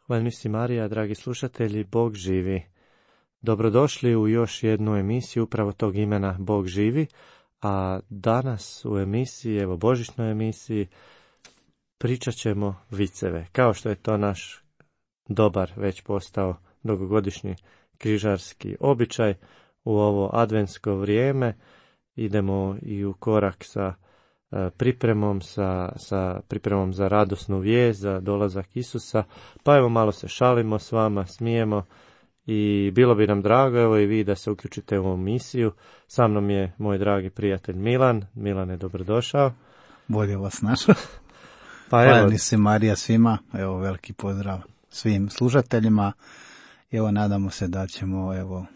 Hvala si Marija, dragi slušatelji, Bog živi. Dobrodošli u još jednu emisiju upravo tog imena Bog živi, a danas u emisiji, evo božićnoj emisiji, pričat ćemo viceve, kao što je to naš dobar već postao dugogodišnji križarski običaj. U ovo adventsko vrijeme idemo i u korak sa pripremom za radosnu vijest, za dolazak Isusa, pa evo malo se šalimo s vama, smijemo i bilo bi nam drago, evo i vi da se uključite u ovu misiju. Sa mnom je moj dragi prijatelj Milan. Milane, dobrodošao. Bolje vas našao. Hvala si Marija svima, evo veliki pozdrav svim slušateljima. Evo nadamo se da ćemo, evo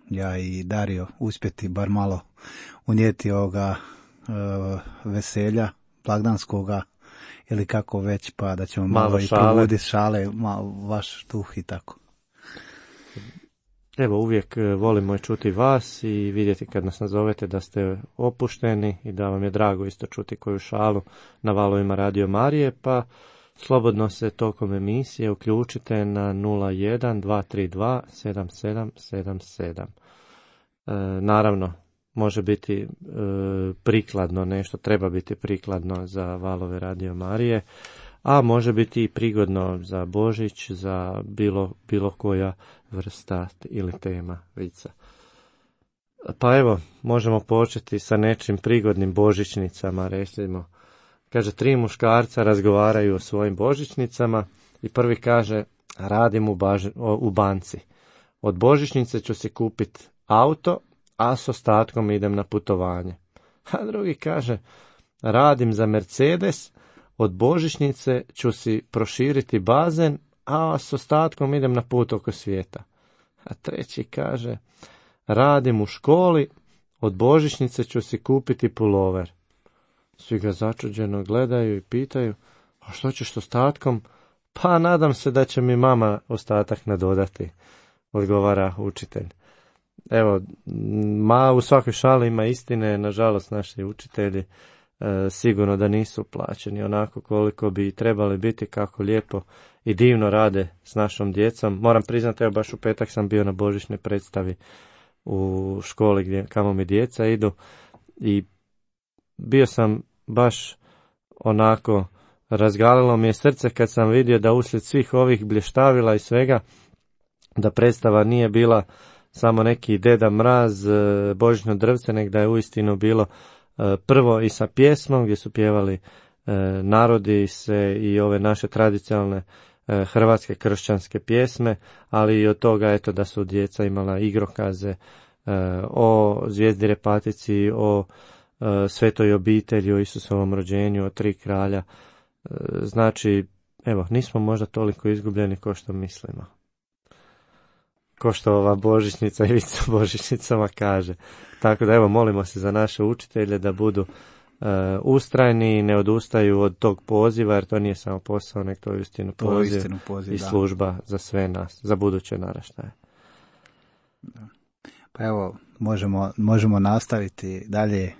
ja i Dario uspjeti bar malo unijeti ovoga veselja blagdanskoga ili kako već, pa da ćemo malo i provoditi šale, vaš duh i tako. Evo, uvijek volimo čuti vas i vidjeti kad nas nazovete da ste opušteni i da vam je drago isto čuti koju šalu na valovima Radio Marije, pa slobodno se tokom emisije uključite na 01 232 7777. Naravno, može biti prikladno nešto, treba biti prikladno za valove Radio Marije, a može biti i prigodno za Božić, za bilo koja vrsta ili tema vica. Pa evo, možemo početi sa nečim prigodnim božićnicama, recimo. Kaže, 3 muškarca razgovaraju o svojim božićnicama i prvi kaže, radim u banci. Od božićnice ću si kupiti auto, a s ostatkom idem na putovanje. A drugi kaže, radim za Mercedes, od božićnice ću si proširiti bazen, a s ostatkom idem na put oko svijeta. A treći kaže, radim u školi, od božićnice ću si kupiti pulover. Svi ga začuđeno gledaju i pitaju, a što ćeš s ostatkom? Pa nadam se da će mi mama ostatak nadodati, odgovara učitelj. Evo, u svakoj šali ima istine, nažalost naši učitelji sigurno da nisu plaćeni onako koliko bi trebali biti, kako lijepo i divno rade s našom djecom. Moram priznati, evo baš u petak sam bio na božićnoj predstavi u školi kamo mi djeca idu i bio sam baš onako, razgalilo mi je srce kad sam vidio da uslijed svih ovih blještavila i svega, da predstava nije bila samo neki Deda Mraz, božićno drvce, nego da je uistinu bilo prvo i sa pjesmom gdje su pjevali narodi se i ove naše tradicionalne hrvatske kršćanske pjesme, ali i od toga eto da su djeca imala igrokaze o zvijezdi repatici, o svetoj obitelji, o Isusovom rođenju, o 3 kralja Znači, evo, nismo možda toliko izgubljeni kao što mislimo. Ko što ova božićnica i Ivica božićnicama kaže. Tako da evo, molimo se za naše učitelje da budu ustrajni i ne odustaju od tog poziva, jer to nije samo posao, nek to je uistinu poziv i služba za sve nas, za buduće naraštaje. Da. Pa evo, možemo nastaviti dalje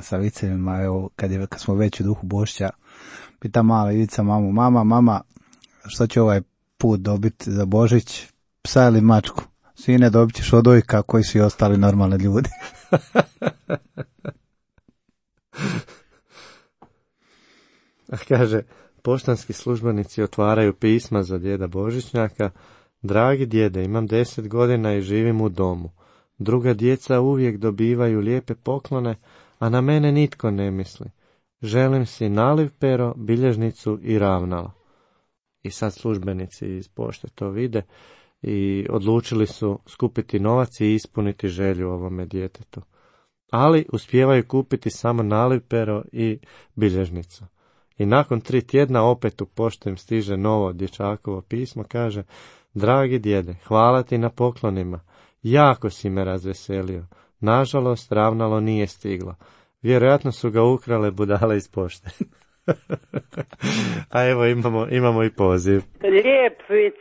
sa vicevima. Evo, kad smo već u duhu Božića, pita mala Ivica mamu, mama, što će ovaj put dobiti za Božić, psa ili mačku? Sine, dobit ćeš odojka koji su i ostali normalni ljudi. Kaže, poštanski službenici otvaraju pisma za djeda Božićnjaka. Dragi djede, imam 10 godina i živim u domu. Druga djeca uvijek dobivaju lijepe poklone, a na mene nitko ne misli. Želim si naliv pero, bilježnicu i ravnalo. I sad službenici iz pošte to vide i odlučili su skupiti novac i ispuniti želju ovome djetetu. Ali uspijevaju kupiti samo naliv pero i bilježnicu. I nakon 3 tjedna opet u poštu im stiže novo dječakovo pismo, kaže: dragi djede, hvala ti na poklonima. Jako si me razveselio. Nažalost, ravnalo nije stiglo. Vjerojatno su ga ukrale budale iz pošte. A evo imamo i poziv. Lijep vic.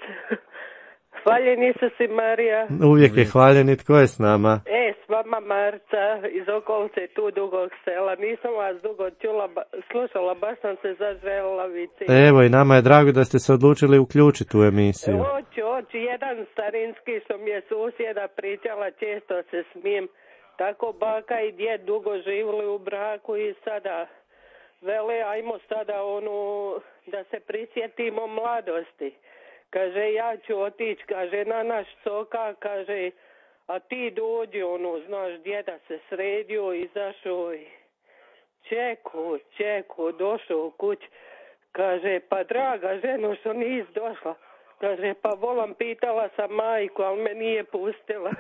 Hvaljen Isus i Marija. Uvijek je hvaljen. Tko je s nama? S vama Marca iz okolice tu Dugog Sela. Nisam vas dugo slušala, baš sam se zaželjela vici. Evo, i nama je drago da ste se odlučili uključiti u emisiju. Hoću, jedan starinski što mi je susjeda pričala, često se smijem. Tako baka i djed dugo živjeli u braku i sada vele, ajmo sada da se prisjetimo mladosti. Kaže, ja ću otići, kaže, na naš soka, kaže, a ti dođi, znaš, djeda se sredio, izašao i čeku, došao u kuć. Kaže, pa draga ženo, što nis došla? Kaže, pa volam, pitala sam majku, ali me nije pustila.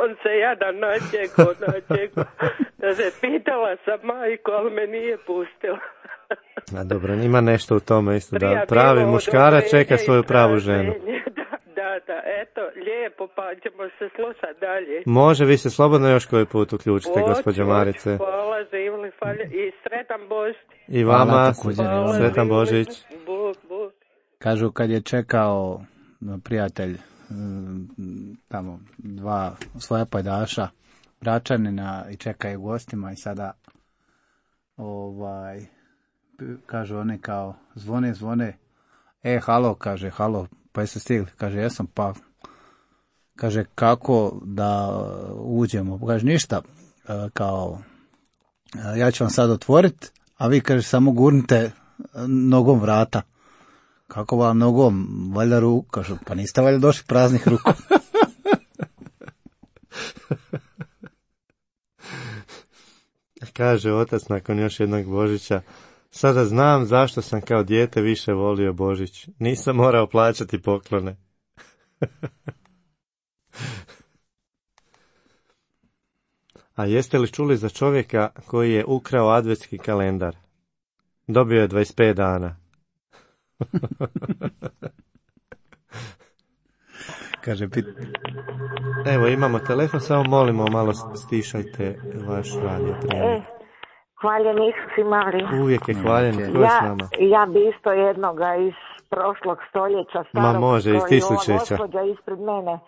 On se jadan načekao. Kaže, pitala sam majku, ali me nije pustila. A dobro, ima nešto u tome isto, da pravi muškarac čeka svoju pravu ženu. Da, eto, lijepo, pa ćemo se slušati dalje. Može, vi se slobodno još koji put uključite, gospođo Marice. Hvala, živjeli, i sretan Božić. I vama, sretan Božić. Bog. Kažu, kad je čekao prijatelj tamo 2 svoja pajdaša, Bračanina, i čekaju gostima i sada kažu oni kao zvone, halo, kaže, halo, pa jeste stigli? Kaže, jesam, pa kaže, kako da uđemo? Kaže, ništa, kao, ja ću vam sad otvoriti, a vi, kaže, samo gurnite nogom vrata. Kako vam nogom? Valjda ruku? Kažu, pa niste valjda došli praznih ruku. Kaže otac nakon još jednog Božića: sada znam zašto sam kao dijete više volio Božić. Nisam morao plaćati poklone. A jeste li čuli za čovjeka koji je ukrao adventski kalendar? Dobio je 25 dana. Kaže, evo, imamo telefon, samo molimo, malo stišajte vaš radio prijenos. Hvaljen Isus i Marija. Uvijek je hvaljen. Tko je s nama? Ja bi isto jednoga iz prošlog stoljeća, starog. Ma može, iz tisućeća. Gospođa ispred mene.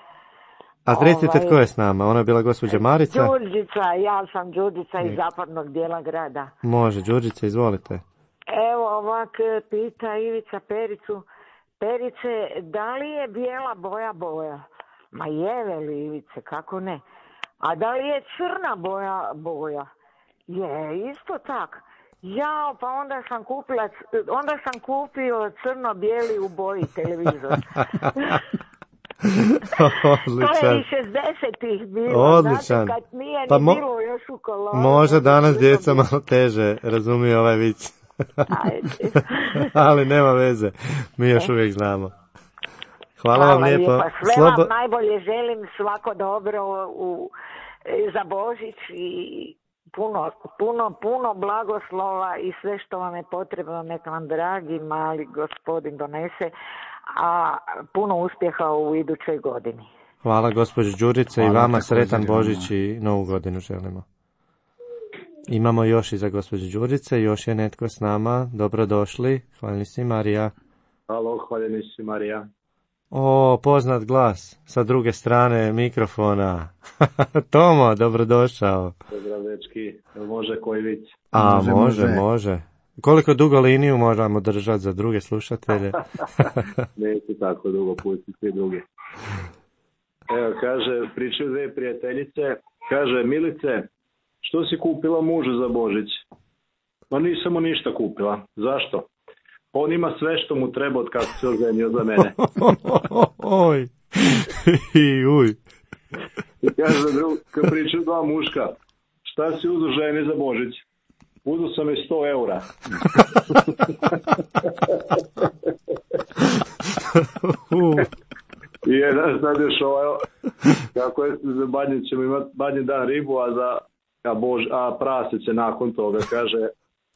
A recite tko je s nama? Ona je bila gospođa Marica? Đurđica, ja sam Đurđica iz zapadnog dijela grada. Može, Đurđica, izvolite. Evo ovak pita Ivica Pericu: Perice, da li je bijela boja? Ma je, veli Ivice, kako ne? A da li je crna boja? Je, isto tak. Ja, pa onda sam kupio crno-bijeli u boji televizor. Odličan. To je i 60-ih bilo. Odličan. Znate, kad nije ni bilo još u kolonu. Može danas djeca malo teže razumiju ovaj vic. Ali nema veze, mi još uvijek znamo. Hvala vam lijepo. Sve vam najbolje želim, svako dobro za Božić i puno blagoslova i sve što vam je potrebno neka vam dragi mali gospodin donese, a puno uspjeha u idućoj godini. Hvala gospođo Đurice i vama sretan Božić i Novu godinu želimo. Imamo još iza gospođe Đurice, još je netko s nama. Dobrodošli, hvaljeni si Marija. Halo, hvaljeni si Marija. O, poznat glas sa druge strane mikrofona. Tomo, dobrodošao. Pozdrav, dečki. Može koji vic? A, može. Koliko dugo liniju možemo držati za druge slušatelje? Neću tako dugo pustiti svi drugi. Evo, kaže, pričaju dve prijateljice. Kaže, Milice, što si kupila mužu za Božić? Ma nisam mu ništa kupila. Zašto? On ima sve što mu treba od kako se oženio za mene. Oj. Uj. I kaže kad pričaju dva muška, šta si uzu ženi za Božić? Uzu sam je 100 eura. I jedan sad još kako je za badnje ćemo imati badnji dan ribu, a prase će nakon toga. Kaže,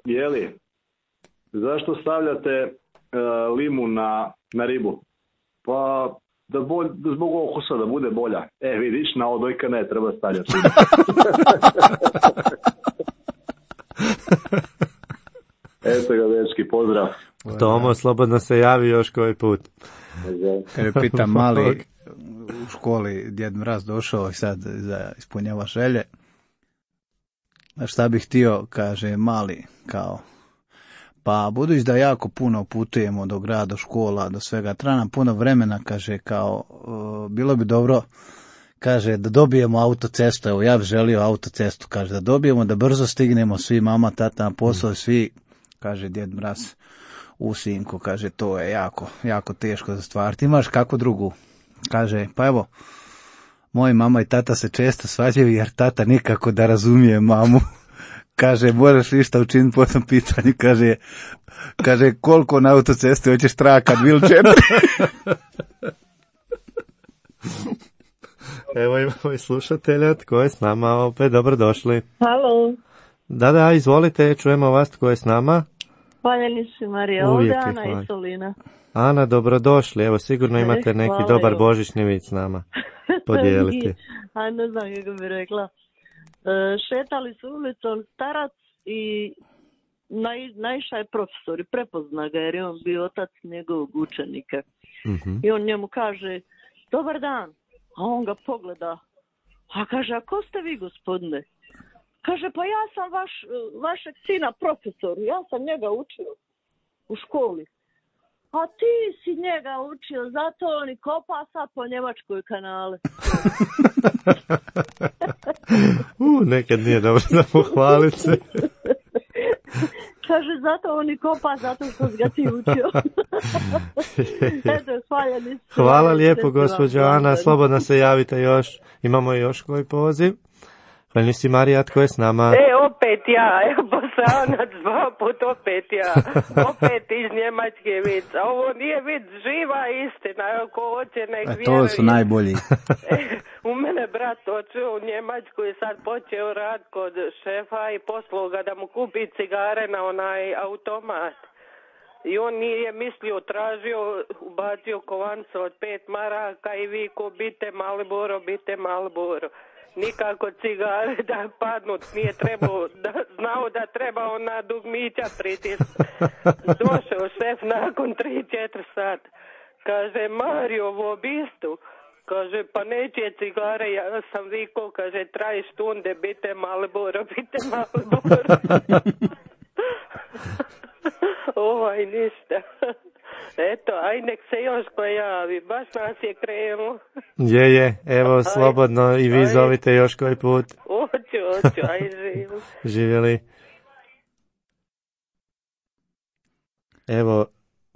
jeli, zašto stavljate limun na ribu? Pa da zbog okusa da bude bolja. Vidiš, na odojka ne treba stavljati. Eto ga, dečki, pozdrav. Tomo, slobodno se javi još koji put. Pitam mali u školi, Djed Mraz došao i sad ispunjava želje. A šta bih htio, kaže mali, kao, pa budući da jako puno putujemo do grada, do škola, do svega, treba nam puno vremena, kaže, kao, bilo bi dobro, kaže, da dobijemo autocestu, evo ja bih želio autocestu, kaže, da dobijemo, da brzo stignemo svi, mama, tata na posao, svi, kaže Djed Mraz, u sinko, kaže, to je jako teško za stvariti. Imaš kako drugu? Kaže, pa evo, moji mama i tata se često svađaju jer tata nikako da razumije mamu. Kaže, moraš ništa učiniti po tom pitanju. Kaže, koliko na autocesti hoćeš trakat, bil 4? Evo imamo i slušatelja, tko je s nama opet, dobrodošli. Halo. Da, izvolite, čujemo vas, tko je s nama. Hvaljeni si Marija, ovdje Ana i Solina. Ana, dobrodošli, evo sigurno imate neki dobar božićni vic s nama podijeliti. A ne znam kako bi rekla. Šetali su ulicom starac i naišao je profesor i prepozna ga jer je on bio otac njegovog učenika. Uh-huh. I on njemu kaže, dobar dan, a on ga pogleda, a kaže, a ko ste vi, gospodine? Kaže, pa ja sam vašeg sina profesor, ja sam njega učio u školi. A ti si njega učio, zato on i kopa sad po Njemačkoj kanale. Nekad nije dobro da pohvalit se. Kaže, zato on i kopa, zato što si ga ti učio. Eto, hvaljeni. Hvala lijepo, gospođo Ana, slobodno se javite još. Imamo još koji poziv. Hvaljeni si Marija, tko je s nama? Opet ja, evo Bosanac, 2 put opet ja, opet iz Njemačke vic, a ovo nije vic, živa istina, ako hoće nek vjeruje. To su najbolji. U mene brat očeo u Njemačku i sad počeo rad kod šefa i poslao ga da mu kupi cigare na onaj automat. I on nije mislio, tražio, ubacio kovancu od 5 maraka i viko, bite Marlboro. Nikako cigare da padnu, nije trebao, znao da treba ona dugmića pritisnut. Došao šef nakon 3-4 sata. Kaže, Mario, v obistu. Kaže, pa neće cigare, ja sam vikao, kaže, traj štunde, bite Marlboro. Ništa. Eto, aj nek se još pojavi, baš nas je krenulo. Je, evo, slobodno i vi zovite još koji put. Oću, aj živjeli. Živjeli. Evo,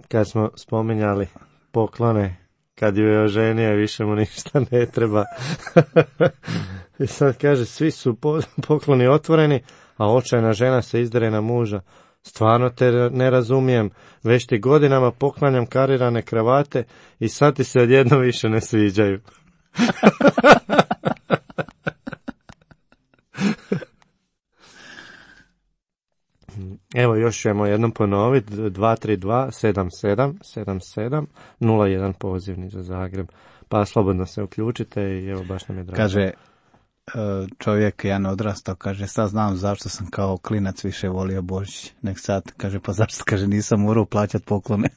kad smo spominjali poklone, kad ju je oženio, više mu ništa ne treba. I sad kaže, svi su pokloni otvoreni, a očajna žena se izdere na muža. Stvarno te ne razumijem, već ti godinama poklanjam karirane kravate i sad ti se odjedno više ne sviđaju. Evo još ćemo jednom ponoviti, 232-77-77-01 pozivni za Zagreb. Pa slobodno se uključite i evo baš nam je drago. Kaže čovjek, jedan odrastao, kaže, sad znam zašto sam kao klinac više volio Božić nek sad. Kaže, pa zašto? Kaže, nisam morao plaćati poklone.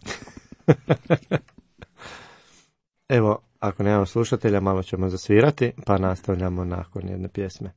Evo, ako nemamo slušatelja, malo ćemo zasvirati, pa nastavljamo nakon jedne pjesme.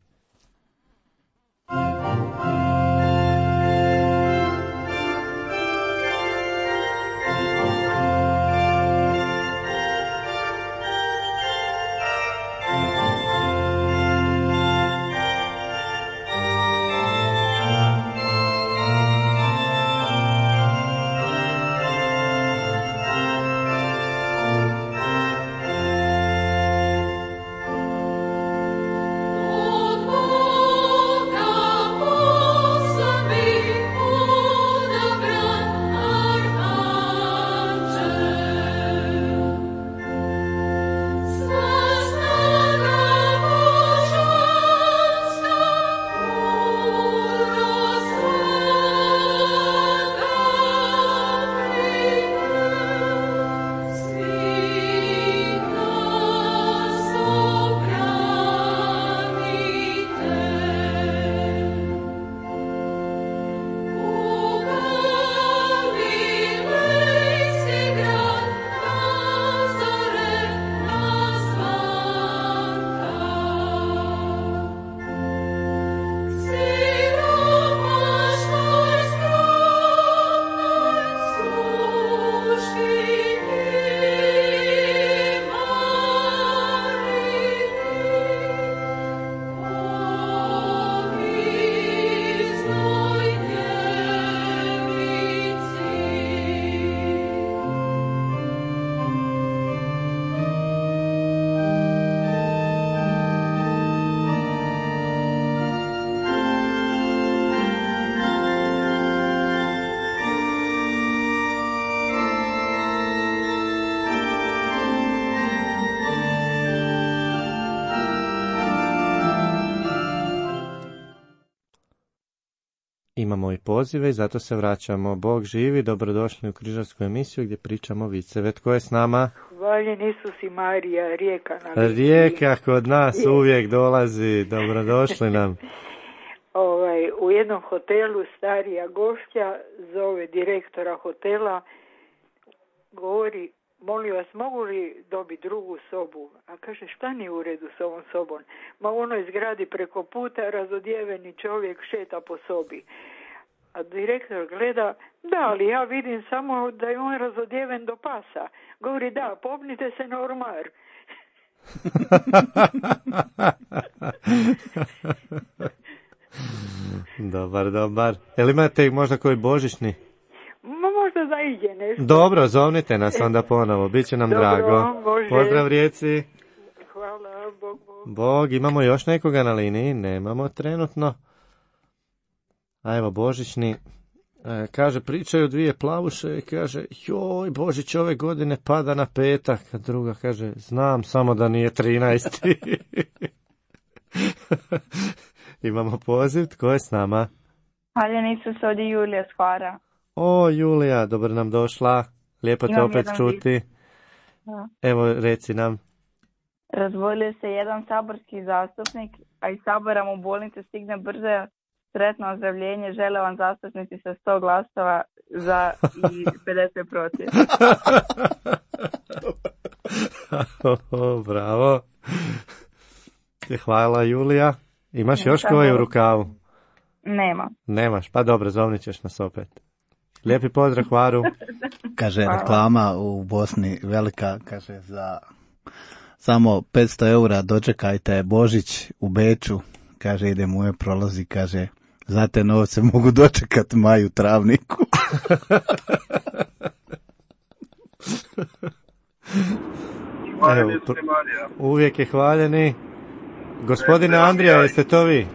Imamo i pozive i zato se vraćamo. Bog živi, dobrodošli u križarsku emisiju gdje pričamo viceve. Tko je s nama? Hvaljen Isus i Marija, Rijeka. Rijeka kod nas uvijek dolazi, dobrodošli nam. U jednom hotelu starija gošća zove direktora hotela, govori, molim vas, mogu li dobiti drugu sobu? A kaže, šta nije u redu s ovom sobom? Ma u onoj zgradi preko puta razodjeveni čovjek šeta po sobi. A direktor gleda, da, ali ja vidim samo da je on razodjeven do pasa. Govori, da, popnite se na ormar. Dobar. Jel imate možda koji božićni? Možda zaiđe nešto. Dobro, zovnite nas onda ponovo, bit će nam drago. Može. Pozdrav Rijeci. Hvala, Bog. Bog, imamo još nekoga na liniji? Nemamo trenutno. A evo božićni, kaže, pričaju dvije plavuše i kaže, joj, Božić ove godine pada na petak. A druga kaže, znam, samo da nije 13. Imamo poziv, tko je s nama? Hvaljen Isus, ovdje Julija s Hvara. O, Julija, dobro nam došla. Lijepo te opet čuti. Da. Evo, reci nam. Razbolio se jedan saborski zastupnik, a iz Sabora mu bolnice stigne brže. Sretno ozdravljenje, žele vam zastupnici sa 100 glasova za i 50 protiv. Bravo. Hvala, Julija. Imaš još koji u rukavu? Nema. Nemaš, pa dobro, zovnit ćeš nas opet. Lijepi pozdrav, Hvaru. Kaže, reklama u Bosni velika, kaže, za samo 500 eura dočekajte Božić u Beču. Kaže, ide moje prolazi, kaže, za te novce mogu dočekati maju travniku. Evo, uvijek je hvaljeni. Gospodine Andrija, jeste to vi?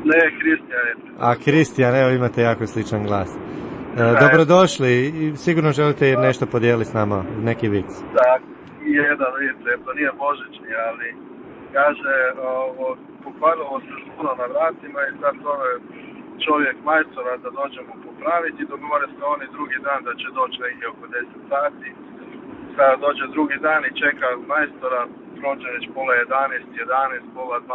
Ne, Kristijan. A, Kristijan, evo imate jako sličan glas. Dobrodošli i sigurno želite nešto podijeliti s nama, neki vic. Da, jedan vic, to nije božićni, ali kaže, pokvarilo se zvono na vratima i sad zove čovjek majstora da dođemo popraviti. Dogovore se oni drugi dan da će doći negdje oko 10 sati. Sada dođe drugi dan i čeka majstora, prođe već pola 11, pola 12,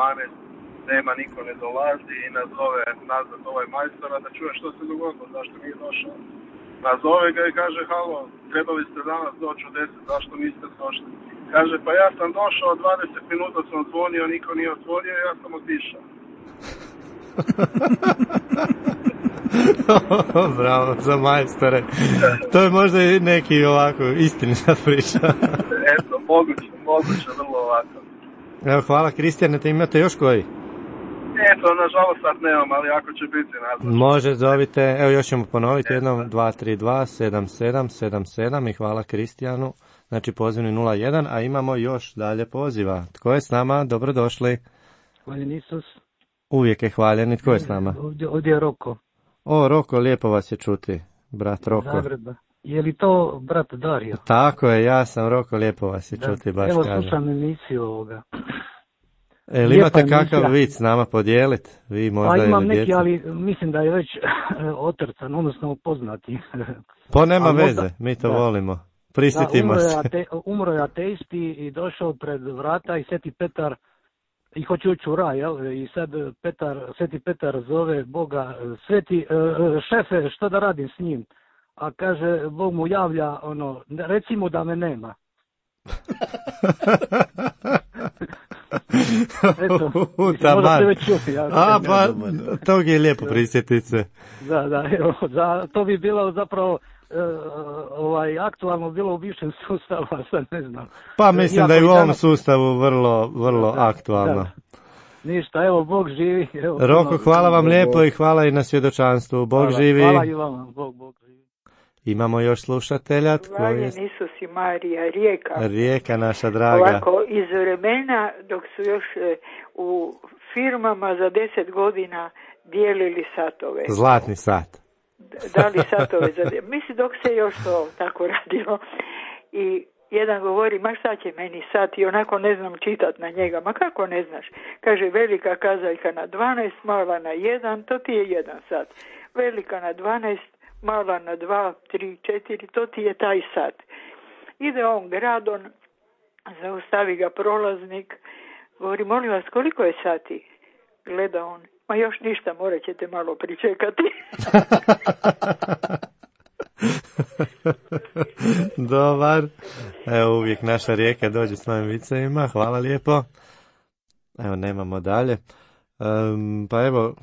nema, niko ne dolazi i nazove nazad ovaj majstora da čuje što se dogodilo, zašto nije došao. Nazove ga i kaže, halo, trebali ste danas doći u 10, zašto niste došli? Kaže, pa ja sam došao, 20 minuta sam zvonio, niko nije otvorio, ja sam otišao. Bravo, za majstore. To je možda i neki ovako istinita priča. Eto, moguće, vrlo ovako. Evo, hvala Kristijane, te imate još koji? Eto, nažalost sad nemam, ali ako će biti nazvat. Može, zovite, evo još ćemo ponoviti jednom, 232-7777 i hvala Kristijanu, znači pozivni 01, a imamo još dalje poziva. Tko je s nama? Dobrodošli. Hvaljen Isus. Uvijek je hvaljen. Tko je s nama? Ovdje je Roko. O, Roko, lijepo vas je čuti, brat Roko. Zagreba. Je li to brat Dario? Tako je, ja sam Roko, lijepo vas je čuti, baš evo, kažem. Evo slušam emisiju ovoga. Jel imate kakav vic s nama podijeliti? Vi možda pa imam neki, djeca? ali mislim da je već otrcan, odnosno poznati. Pa nema veze, mi to volimo. Prisjetimo se. Umro je ateisti i došao pred vrata i Sveti Petar i hoće ući u raj, jel? I sad Sveti Petar zove Boga, Sveti šefe, što da radim s njim? A kaže, Bog mu javlja, reci mu da me nema. Eto, možda se već čuti. Pa, tog je lijepo prisjetiti se. Da, evo, to bi bilo zapravo aktualno bilo u bivšem sustavu, a sad ne znam. Pa mislim da je u ovom sustavu vrlo aktualno. Da. Ništa, evo, Bog živi. Evo, Roko, hvala vam lijepo i hvala i na svjedočanstvu. Bog živi. Hvala i vama, Bog živi. Imamo još slušatelja. Hvaljen Isus i Marija, Rijeka. Rijeka naša draga. Ovako, iz vremena dok su još u firmama za 10 godina dijelili satove. Zlatni sat. Dali satove za... Mislim, dok se još to tako radilo. I jedan govori, ma šta će meni sat, i onako ne znam čitat na njega. Ma kako ne znaš? Kaže, velika kazaljka na 12, mala na 1, to ti je 1 sat. Velika na 12, mala na 2, 3, 4, to ti je taj sat. Ide on gradom, zaustavi ga prolaznik, govori, molim vas, koliko je sati? Gleda on, ma još ništa, morat ćete malo pričekati. Dobar. Evo, uvijek naša Rijeka dođe s novim vicevima, hvala lijepo. Evo, nemamo dalje. Pa evo,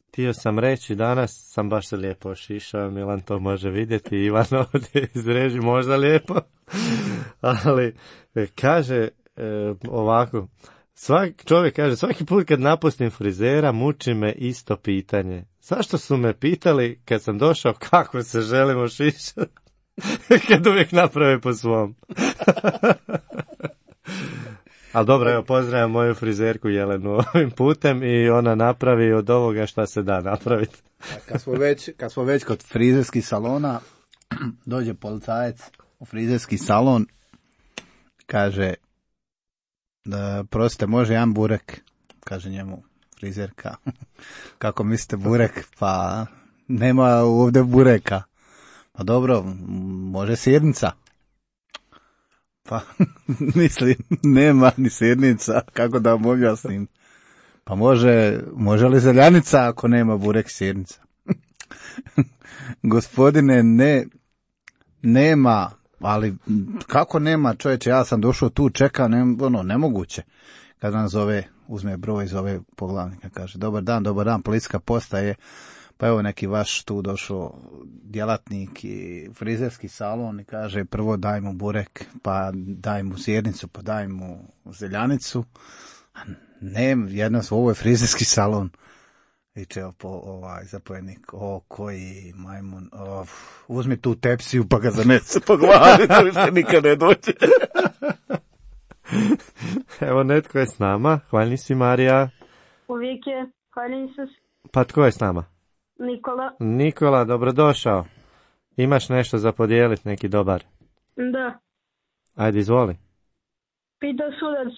htio sam reći, danas sam baš se lijepo ošišao, Milan to može vidjeti, Ivan ovdje izreži možda lijepo, ali kaže ovako, čovjek kaže, svaki put kad napustim frizera muči me isto pitanje. Zašto su me pitali kad sam došao kako se želim ošišati, kad uvijek naprave po svom. Ali dobro, evo, pozdravljam moju frizerku Jelenu ovim putem i ona napravi od ovoga šta se da napraviti. Kad smo već kod frizerskih salona, dođe policajac u frizerski salon, kaže, prostite, može jedan burek? Kaže njemu frizerka, kako mislite burek? Pa nema ovdje bureka. Pa dobro, može sirnica. Pa, mislim, nema ni sirnica, kako da vam objasnim. Pa može li zeljanica ako nema burek sirnica? Gospodine, nema, ali kako nema, čovječe, ja sam došao tu, čekam, nemoguće. Kad nam zove, uzme broj, zove poglavnika, kaže, dobar dan, policijska postaje. Pa evo neki vaš tu došao djelatnik i frizerski salon i kaže, prvo daj mu burek, pa daj mu sirnicu, pa daj mu zeljanicu. Ne, ovo je frizerski salon. Viče zapovjednik, koji majmun, uzmi tu tepsiju pa ga zanese po glavi, to više nikad ne dođe. Evo, netko je s nama, hvalni si Marija. Uvijek je, hvaljen Isus. Pa tko je s nama? Nikola, dobrodošao. Imaš nešto za podijeliti, neki dobar? Da. Ajde, izvoli. Pitao sudac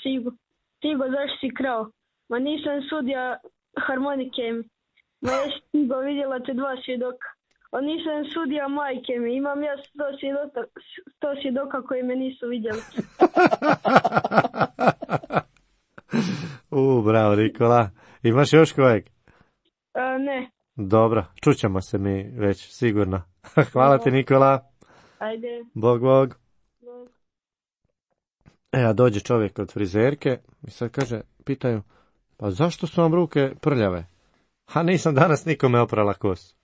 Tigo, zašto si krao? Ma nisam sudija, harmonike mi. Ma jesi ti go vidjela te 2 svjedoka. On nisam sudija majke mi, imam ja 100 svjedoka koji me nisu vidjeli. Bravo Nikola. Imaš još kojeg? Ne. Dobro, čućemo se mi već sigurno. Hvala ti Nikola. Ajde. Bog. A dođe čovjek od frizerke i sad kaže, pitaju, pa zašto su vam ruke prljave? A nisam danas nikome oprala kosu.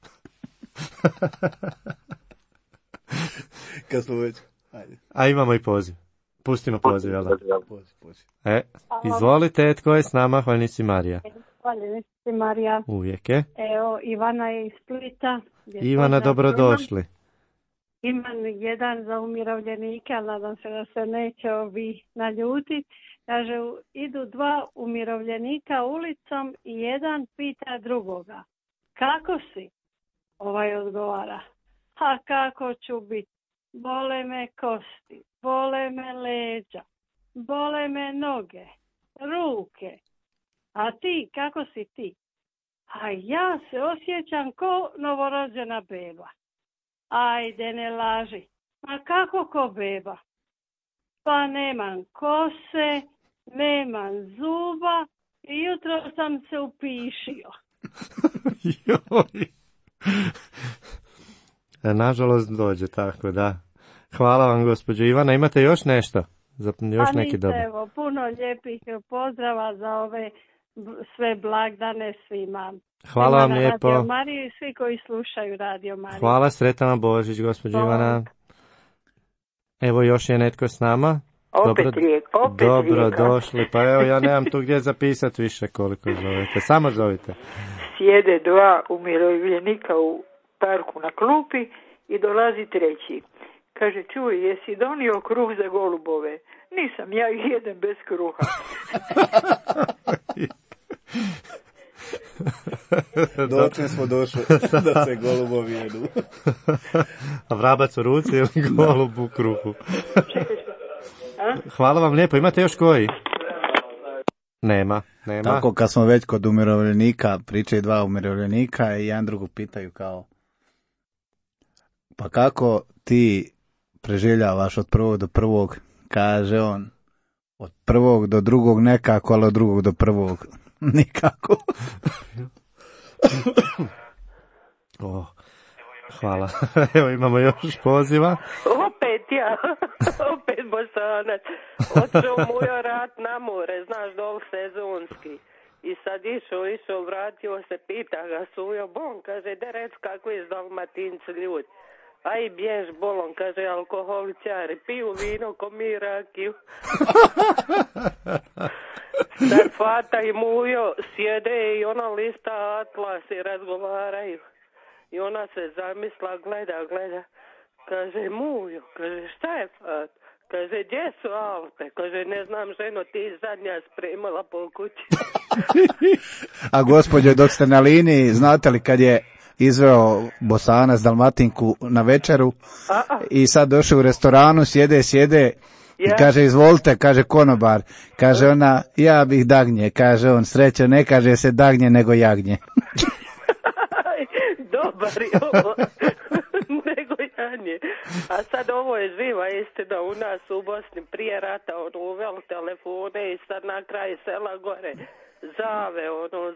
Kad smo već... Ajde. A imamo i poziv. Pustimo poziv, jel da? Poziv. Izvolite, tko je s nama? Hvalnici Marija. Hvalnici Marija. Uvijek je. Evo, Ivana je iz Splita. Ivana, dobrodošli. Imam jedan za umirovljenike, ali nadam se da se neće ovi naljutiti. Kaže, idu 2 umirovljenika ulicom i jedan pita drugoga. Kako si? Ovaj odgovara. A kako ću biti? Bole me kosti, bole me leđa, bole me noge, ruke. A ti, kako si ti? A ja se osjećam ko novorođena beba. Ajde, ne laži. Ma kako ko beba? Pa nemam kose, nemam zuba i jutro sam se upišio. Joj. Nažalost dođe tako, da. Hvala vam, gospođo Ivana. Imate još nešto? Još neki dobar? Evo, puno lijepih pozdrava za ove sve blagdane svima. Hvala vam lijepo. Radio Mariju i svi koji slušaju Radio Mariju. Hvala, sretan vam Božić, gospođo Ivana. Evo još je netko s nama. Opet Dobro došli. Pa evo, ja nemam tu gdje zapisati više koliko zovete. Samo zovite. Sjede 2 umirovljenika u parku na klupi i dolazi treći. Kaže, čuj, jesi donio kruh za golubove? Nisam, ja ih jedem bez kruha. Dočne smo došli da se golubovi jedu. A vrabac u ruci ili golub u kruhu? Hvala vam lijepo. Imate još koji? Nema. Tako kad smo već kod umirovljenika, pričaju 2 umirovljenika i jedan drugu pitaju kao, pa kako ti preživljavaš od 1. do 1. Kaže on, od 1. do 2. nekako, ali od 2. do 1. nikako. Hvala. Evo imamo još poziva. Opet Bosanac. Otišao mu je rat na more, znaš, dol sezonski. I sad išao, vratio se, pita ga sujo, bon, kaže, da rec kako je s Dalmatinci ljudi. Aj, bjež bolon, kaže, alkoholičari, piju vino ko mi rakiju. Sad fata i mujo sjede i ona lista atlas i razgovaraju. I ona se zamisla, gleda. Kaže, mujo, kaže, šta je fat? Kaže, gdje su Alpe? Kaže, ne znam, ženo, ti zadnja spremala po kući. A gospođo, dok ste na liniji, znate li kad je izveo Bosanac Dalmatinku na večeru i sad došao u restoranu, sjede i kaže, izvolite, kaže konobar, kaže ona, ja bih dagnje, kaže on, srećo, ne kaže se dagnje nego jagnje. Dobar je ovo. Nego janje. A sad ovo je živa istina u nas u Bosni. Prije rata uveli telefone i sad na kraj sela gore zave,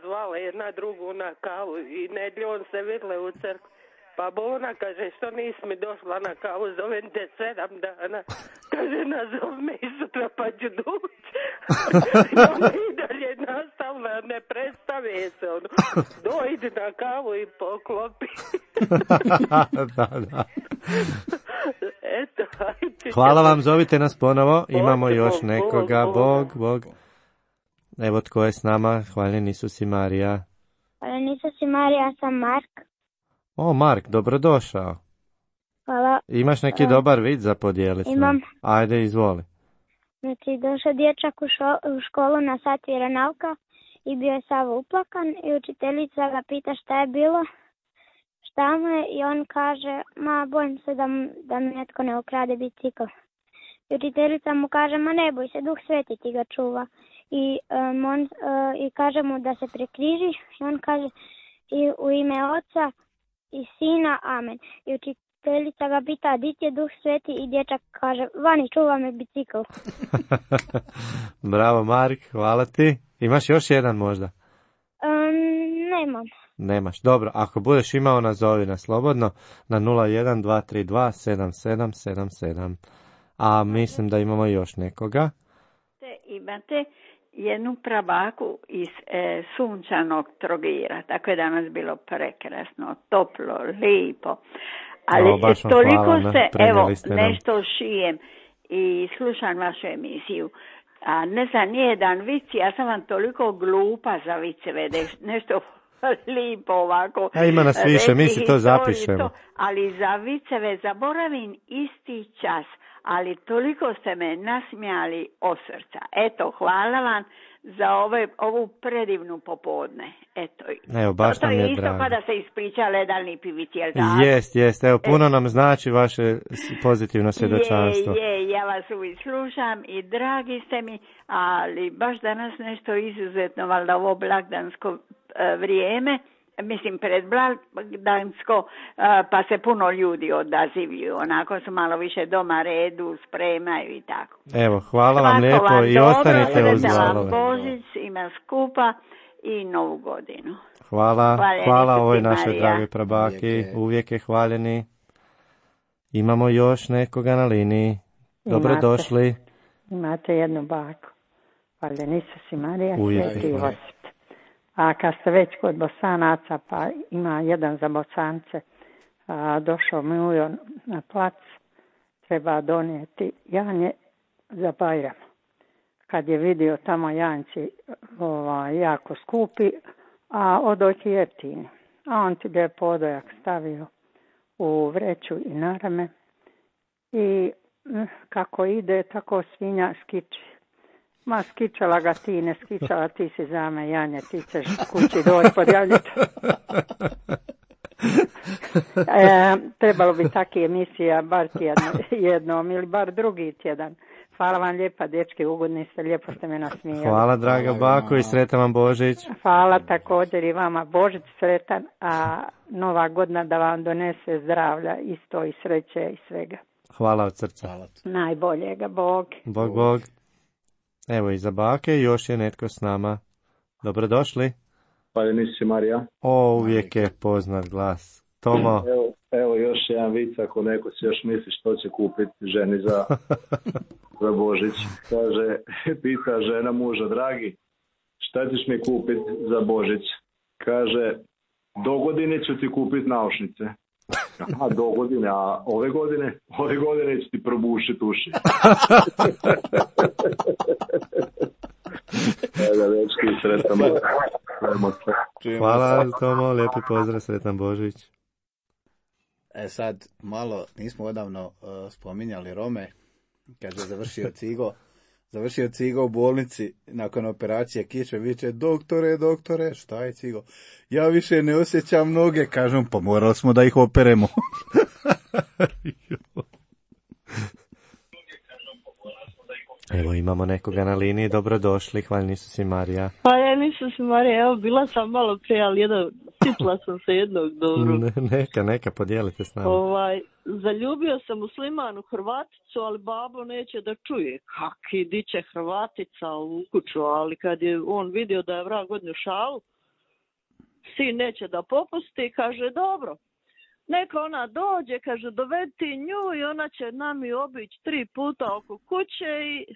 zvale jedna drugu na kavu i nedljom se vidle u crkvi. Pa Bona kaže, što nisi mi došla na kavu, zovem te 7 dana. Kaže, nazov me i sutra pa ću doći. I dalje nastavila, ne predstave se. Dojdi na kavu i poklopi. Da. Eto, hvala vam, zovite nas ponovo. Imamo još nekoga. Bog. Evo tko je s nama. Hvaljeni Isus i Marija. Hvaljeni Isus i Marija, ja sam Mark. O, Mark, dobrodošao. Hvala. Imaš neki dobar vid za podijeliti? Imam. Ajde, izvoli. Znači, došao dječak u školu na sat vjeronauka i bio je sav uplakan i učiteljica ga pita šta je bilo, šta mu je, i on kaže, ma bojim se da mi netko ne ukrade bicikl. I učiteljica mu kaže, ma ne boj se, Duh Sveti ti ga čuva. I kaže mu da se prekriži i on kaže, i u ime Oca i Sina, amen. I učiteljica ga pita, di ti je Duh Sveti, i dječak kaže, vani, čuva me bicikl. Bravo, Mark, hvala ti. Imaš još jedan možda? Nemam. Nemaš. Dobro, ako budeš imao, nazovi nas slobodno na 012327777. A mislim da imamo još nekoga. Imate jednu prabaku iz sunčanog Trogira, tako je danas bilo prekrasno, toplo, lijepo. Ali toliko se, evo, nešto šijem i slušam vašu emisiju. A ne znam, nijedan vic, ja sam vam toliko glupa za viceve, da nešto lijepo ovako. Ima nas više, mi si to zapišemo. Ali za viceve zaboravim isti čas, ali toliko ste me nasmijali od srca. Eto, hvala vam za ovu predivnu popodne. Eto, evo, baš nam je drago. To je isto pa da se ispriča ledalni pivici, jel tako? Jest, evo, puno nam znači vaše pozitivno svjedočanstvo. Ja vas uvijek slušam i dragi ste mi, ali baš danas nešto izuzetno, valjda ovo blagdansko vrijeme, mislim predblagdansko, pa se puno ljudi odazivlju, onako su malo više doma redu, spremaju i tako. Evo, hvala vam lijepo i ostanite uz valove. Božić ima skupa i Novu godinu. Hvala ovoj našoj dragoj prabaki, uvijek je hvaljeni. Imamo još nekoga na liniji. Dobrodošli. Imate jednu baku. Hvaljeni Isus i Marija, Sveti Josip. A kad ste već kod Bosanaca, pa ima jedan za Bosance, došao Mijo na plac, treba donijeti janje za Bajram. Kad je vidio tamo janjci jako skupi, a odoći jeftini. A on ti lijepo odojak stavio u vreću i na rame. I kako ide, tako svinja skiči. Ma skičala ga ti, ne skičala ti si za me, Janje, ti ćeš kući doći podjavljati. Trebalo bi takve emisija bar jednom ili bar drugi tjedan. Hvala vam lijepa, dečki, ugodni ste, lijepo ste me nasmijali. Hvala, draga bako, i sretan vam Božić. Hvala također i vama, Božić sretan, a Nova godina da vam donese zdravlja, isto i sreće i svega. Hvala od srca. Najboljega, Bog. Bog. Evo i za bake, još je netko s nama. Dobrodošli. Hvaljeni Isus i Marija. Uvijek je poznat glas. Tomo. Evo još jedan vic, ako neko si još misli što će kupiti ženi za Božić. Kaže, pita žena muža, dragi, šta ćeš mi kupiti za Božić? Kaže, do godine ću ti kupiti naušnice. Aha, do godine, a ove godine ću ti probušiti uši. Hvala, Tomo, lijepi pozdrav, sretan Božić. Sad, malo, nismo odavno spominjali Rome, kaže završio Cigo u bolnici nakon operacije kiče, viče, doktore, šta je Cigo? Ja više ne osjećam noge, kažem, pa morali smo da ih operemo. Evo imamo nekoga na liniji, dobrodošli, hvaljeni Isus i Marija. Hvaljeni Isus i Marija, evo bila sam malo prije, ali sitla sam se jednog dobro. Neka, podijelite s nama. Zaljubio sam muslimanu Hrvaticu, ali babo neće da čuje. Kaki diće Hrvatica u kuću, ali kad je on vidio da je vrag odnio šalu, sin neće da popusti, kaže dobro. Neka ona dođe, kaže, dovedi nju i ona će nami obići 3 puta oko kuće i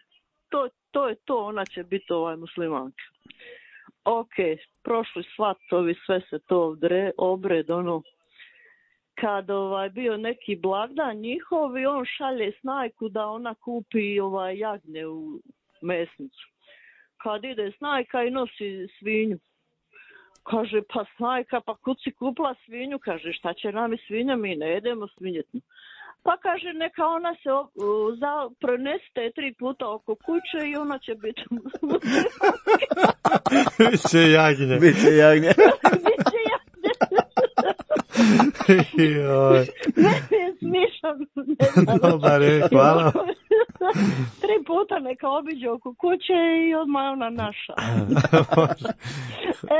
to je to, ona će biti muslimanka. Ok, prošli svatovi, sve se to obred, kad bio neki blagdan njihov i on šalje snajku da ona kupi jagnje u mesnicu. Kad ide snajka i nosi svinju. Kaže, pa snajka, pa kud si kupila svinju? Kaže, šta će nam i svinja, mi ne jedemo svinjetnu. Pa kaže, neka ona se pronesete 3 puta oko kuće i ona će biti Biće jagnje. Biće jagnje. Meni je smišan. Dobar je, hvala. 3 puta neka obiđe oko kuće i odmah ona naša.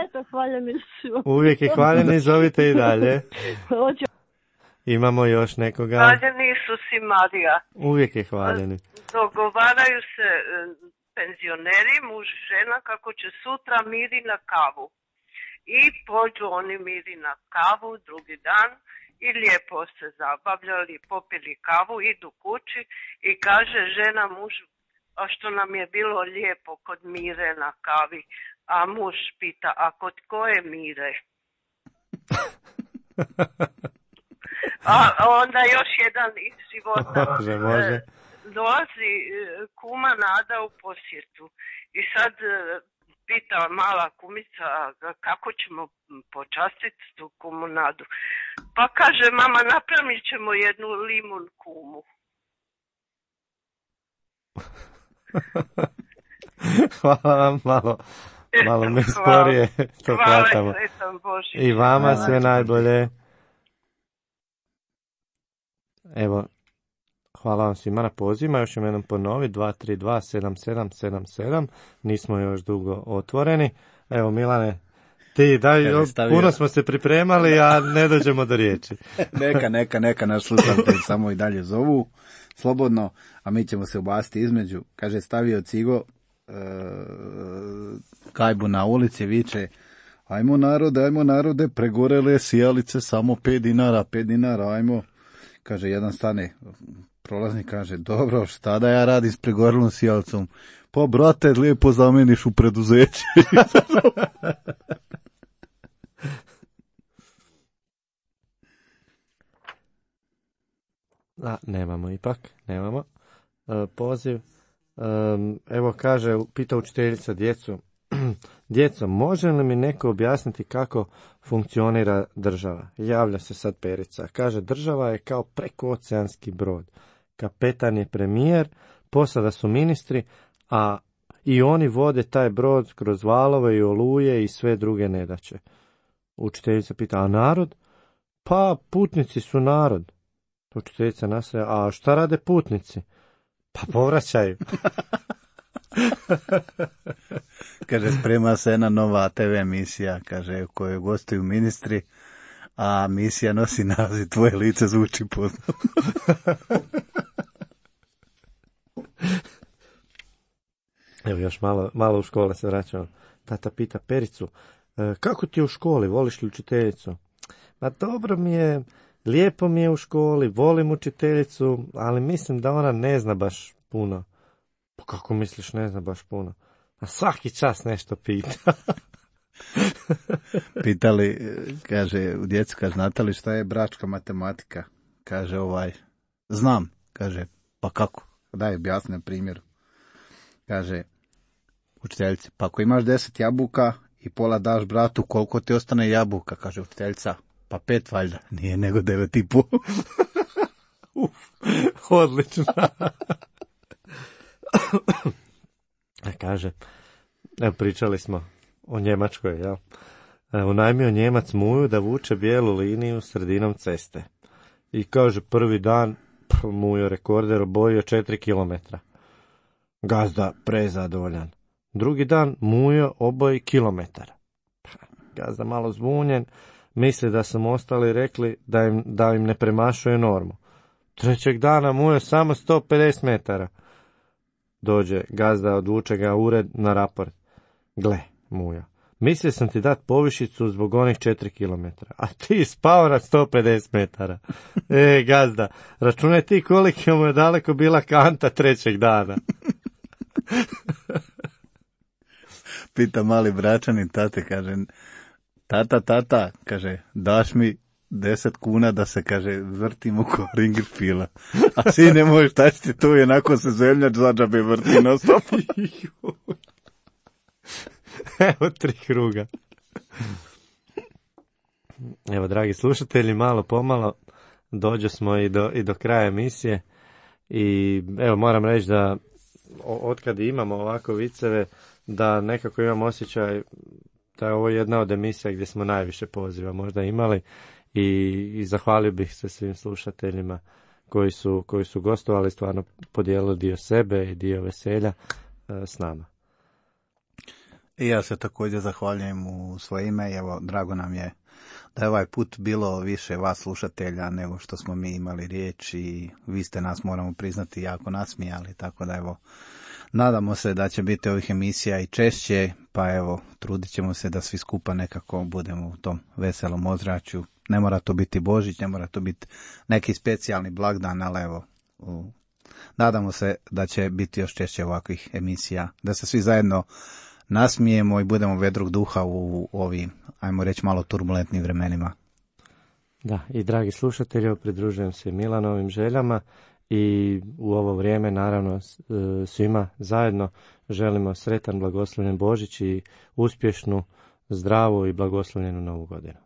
Eto, hvaljeni su. Uvijek je hvaljeni, zovite i dalje. Hoću. Imamo još nekoga. Hvaljeni su si Marija. Uvijek je hvaljeni. Dogovaraju se penzioneri, muž i žena, kako će sutra miri na kavu. I pođu oni miri na kavu drugi dan i lijepo se zabavljali, popili kavu, idu kući i kaže žena mužu, a što nam je bilo lijepo kod Mire na kavi. A muž pita, a kod koje Mire? A onda još jedan iz života. Može. Dolazi kuma Nada u posjetu i sad pita mala kumica kako ćemo počastiti tu kumu Nadu. Pa kaže mama, napravit ćemo jednu limun kumu. Hvala vam, malo me sporije to hvatamo. I vama sve najbolje. Evo, hvala vam svima na pozivima, još ćemo jednom ponoviti, 232-7777, nismo još dugo otvoreni. Evo Milane, ti daj, puno smo se pripremali, a ne dođemo do riječi. Neka, naš slušatelj samo i dalje zovu, slobodno, a mi ćemo se ubaciti između. Kaže, stavio Cigo gajbu na ulici, viče, ajmo narode, pregorele sijalice, samo 5 dinara, ajmo. Kaže, jedan stane, prolaznik kaže, dobro, šta da ja radim s pregorelom sijalcom? Pa, brate, lijepo zameniš u preduzeće. Nemamo. Poziv. Evo kaže, pita učiteljica djecu. Djeco, može li mi neko objasniti kako funkcionira država? Javlja se sad Perica. Kaže, država je kao prekooceanski brod. Kapetan je premijer, posada su ministri, a i oni vode taj brod kroz valove i oluje i sve druge nedaće. Učiteljica pita, a narod? Pa, putnici su narod. Učiteljica nastaje, a šta rade putnici? Pa povraćaju. Kaže, sprema se jedna nova TV emisija, kaže, u kojoj gostuju ministri, a misija nosi naziv Tvoje lice zvuči poznato. Evo još malo u škole se vraćamo. Tata pita Pericu, kako ti je u školi, voliš li učiteljicu? Ma dobro mi je, lijepo mi je u školi, volim učiteljicu, ali mislim da ona ne zna baš puno. Pa kako misliš ne zna baš puno? A svaki čas nešto pita. Pitali, kaže, u djecu, kaže, znate li šta je bračka matematika? Kaže, znam. Kaže, pa kako? Daj, objasni na primjeru. Kaže, učiteljica, pa ako imaš 10 jabuka i pola daš bratu, koliko ti ostane jabuka? Kaže učiteljica, pa 5 valjda. Nije, nego 9,5. Odlično. Kaže, evo pričali smo o Njemačkoj, jel? Unajmio Njemac Muju da vuče bijelu liniju sredinom ceste. I kaže, prvi dan Mujo rekorder obojio 4 kilometra. Gazda prezadovoljan. Drugi dan Mujo oboji kilometar. Gazda malo zbunjen, misli da su mu ostali rekli da im ne premašuje normu. Trećeg dana Mujo samo 150 metara. Dođe gazda, odvuče ga ured na raport. Gle, Mujo, mislio sam ti dat povišicu zbog onih 4 kilometra, a ti spao na 150 metara. Gazda, računaj ti koliko mu je daleko bila kanta trećeg dana. Pita mali bračanin tate, kaže, tata, kaže, daš mi 10 kuna da se, kaže, vrtim oko Ringerfila. A sine moj, šta će ti tu, jednako se zemljač zadžabe vrti na stop. Evo 3 kruga. Evo, dragi slušatelji, malo pomalo dođo smo i do kraja emisije. I evo, moram reći da otkad imamo ovako viceve, da nekako imam osjećaj da je ovo jedna od emisija gdje smo najviše poziva možda imali i zahvalio bih se svim slušateljima koji su gostovali, stvarno podijelili dio sebe i dio veselja s nama. I ja se također zahvaljujem u svoje ime i evo, drago nam je da je ovaj put bilo više vas slušatelja nego što smo mi imali riječ i vi ste nas, moramo priznati, jako nasmijali, tako da evo, nadamo se da će biti ovih emisija i češće, pa evo, trudit ćemo se da svi skupa nekako budemo u tom veselom ozračju. Ne mora to biti Božić, ne mora to biti neki specijalni blagdan, ali evo, nadamo se da će biti još češće ovakvih emisija, da se svi zajedno nasmijemo i budemo vedrog duha u ovim, ajmo reći, malo turbulentnim vremenima. Da, i dragi slušatelji, pridružujem se Milanovim željama i u ovo vrijeme naravno svima zajedno želimo sretan, blagoslovljen Božić i uspješnu, zdravu i blagoslovljenu Novu godinu.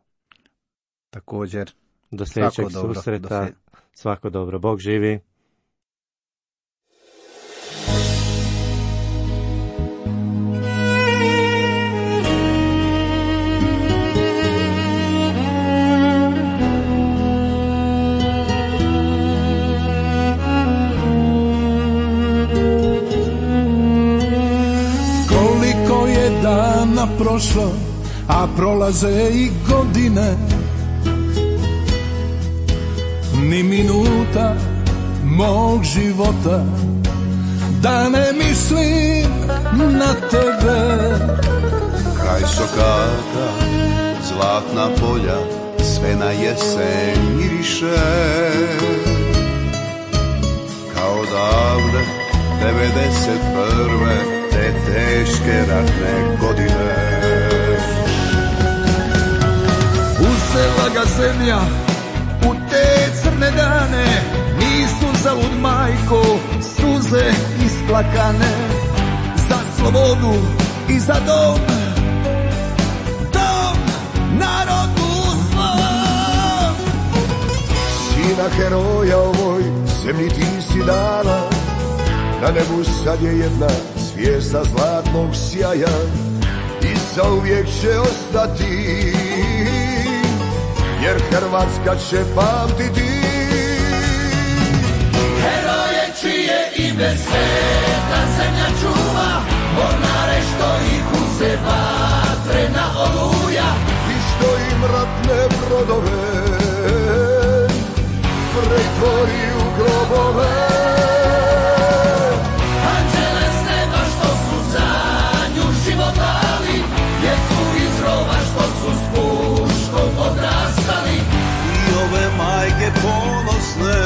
Također, do sljedećeg susreta, svako dobro, Bog živi. Prošlo, a prolaze i godine, ni minuta mog života da ne mislim na tebe. Kraj sokaka, zlatna polja, sve na jesen miriše, kao davne 91. te teške ratne godine. Uzela ga zemlja u te crne dane, nisu zalud majko suze isplakane, za slobodu i za dom, dom narodu svom. Sina heroja ovoj zemlji ti si dala, na nebu sad je jedna zvijezda zlatnog sjaja i zauvijek će ostati, jer Hrvatska će pamtiti. Heroje čije ime sveta zemlja čuva, mornare što ih uze vatrena oluja i što im ratne brodove pretvori u grobove. Majke ponosne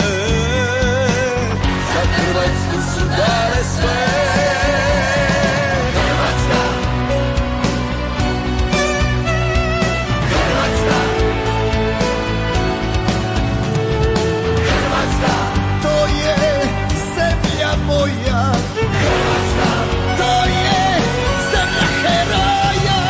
za Hrvatsku su dale sve. Hrvatska, Hrvatska, Hrvatska, to je zemlja moja. Hrvatska, to je zemlja heroja.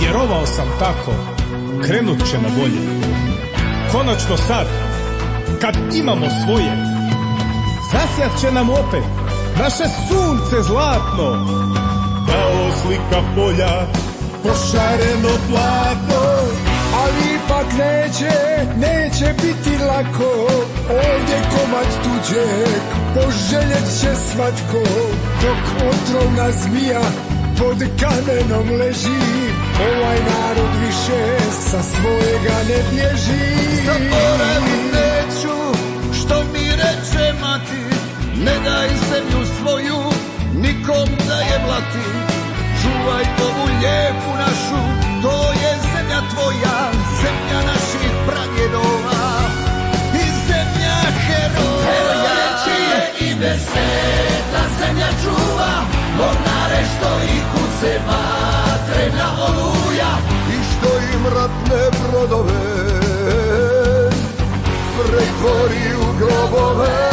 Vjerovao sam tako, krenut će na bolje. Konačno sad, kad imamo svoje, zasjat će nam opet naše sunce zlatno. Kao slika polja, pošareno platno, ali ipak neće biti lako. Ovdje komad tuđeg poželjet će svatko, dok otrovna zmija pod kamenom leži. Ovaj narod više sa svojega ne bježi. Zaboravit neću što mi reče mati, ne daj zemlju svoju nikom da je blati. Čuvaj ovu lijepu našu, to je zemlja tvoja, zemlja naših pradjedova i zemlja heroja. Heroje čije ime sveta zemlja čuva, mornare što ih uze vatrena oluja i što im ratne brodove pretvori u grobove.